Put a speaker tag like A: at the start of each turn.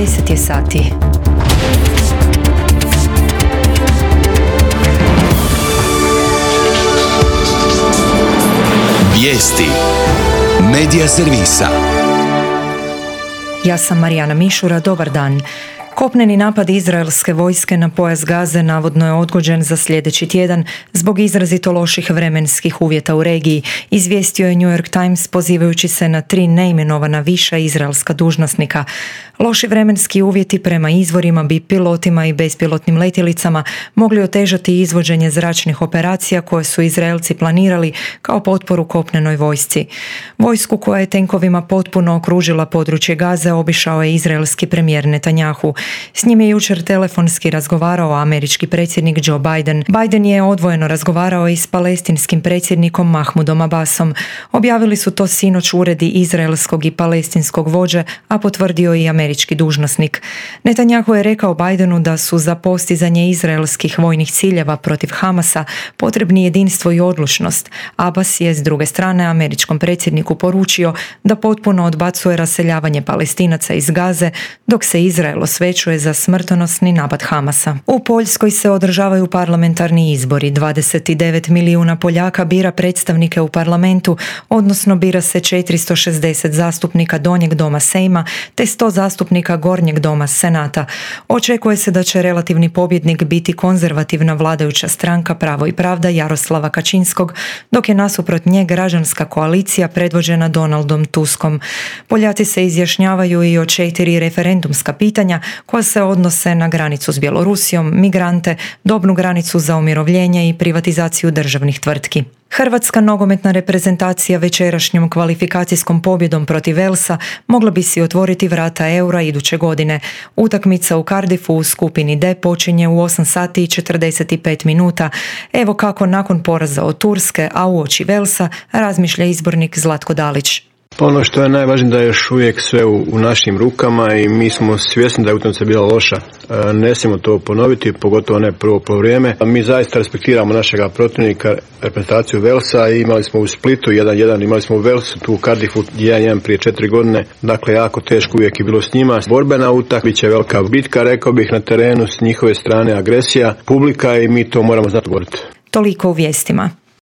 A: 10 je sati.
B: Vijesti Medija servisa.
A: Ja sam Marijana Mišura, dobar dan. Kopneni napad izraelske vojske na pojas Gaze navodno je odgođen za sljedeći tjedan zbog izrazito loših vremenskih uvjeta u regiji, izvijestio je New York Times pozivajući se na 3 neimenovana viša izraelska dužnosnika. Loši vremenski uvjeti prema izvorima bi pilotima i bespilotnim letjelicama mogli otežati izvođenje zračnih operacija koje su Izraelci planirali kao potporu kopnenoj vojsci. Vojsku koja je tenkovima potpuno okružila područje Gaze obišao je izraelski premijer Netanjahu. S njim je jučer telefonski razgovarao američki predsjednik Joe Biden. Biden je odvojeno razgovarao i s palestinskim predsjednikom Mahmudom Abbasom. Objavili su to sinoć uredi izraelskog i palestinskog vođe, a potvrdio i američki dužnosnik. Netanjahu je rekao Bidenu da su za postizanje izraelskih vojnih ciljeva protiv Hamasa potrebni jedinstvo i odlučnost. Abbas je s druge strane američkom predsjedniku poručio da potpuno odbacuje raseljavanje Palestinaca iz Gaze, dok se Izrael osvećuje za smrtonosni napad Hamasa. U Poljskoj se održavaju parlamentarni izbori. 29 milijuna Poljaka bira predstavnike u parlamentu, odnosno bira se 460 zastupnika donjeg doma Sejma te 100 zastupnika gornjeg doma Senata. Očekuje se da će relativni pobjednik biti konzervativna vladajuća stranka Pravo i pravda Jaroslava Kačinskog, dok je nasuprot nje građanska koalicija predvođena Donaldom Tuskom. Poljaci se izjašnjavaju i o 4 referendumska pitanja koja se odnose na granicu s Bjelorusijom, migrante, dobnu granicu za umirovljenje i privatizaciju državnih tvrtki. Hrvatska nogometna reprezentacija večerašnjom kvalifikacijskom pobjedom protiv Walesa mogla bi si otvoriti vrata Eura iduće godine. Utakmica u Cardiffu u skupini D počinje u 8 sati i 45 minuta. Evo kako nakon poraza od Turske, a uoči Walesa, razmišlja izbornik Zlatko Dalić.
C: Ono što je najvažnije da je još uvijek sve u našim rukama i mi smo svjesni da je utakmica bila loša. Ne smijemo to ponoviti, pogotovo ne prvo vrijeme. Mi zaista respektiramo našega protivnika, reprezentaciju Walesa, i imali smo u Splitu 1-1, imali smo u Walesu, tu u Cardiffu 1-1 prije 4 godine. Dakle, jako teško uvijek je bilo s njima. Borbena utakmica, bit će velika bitka, rekao bih, na terenu s njihove strane agresija, publika, i mi to moramo znati govoriti.
A: Toliko u vijestima.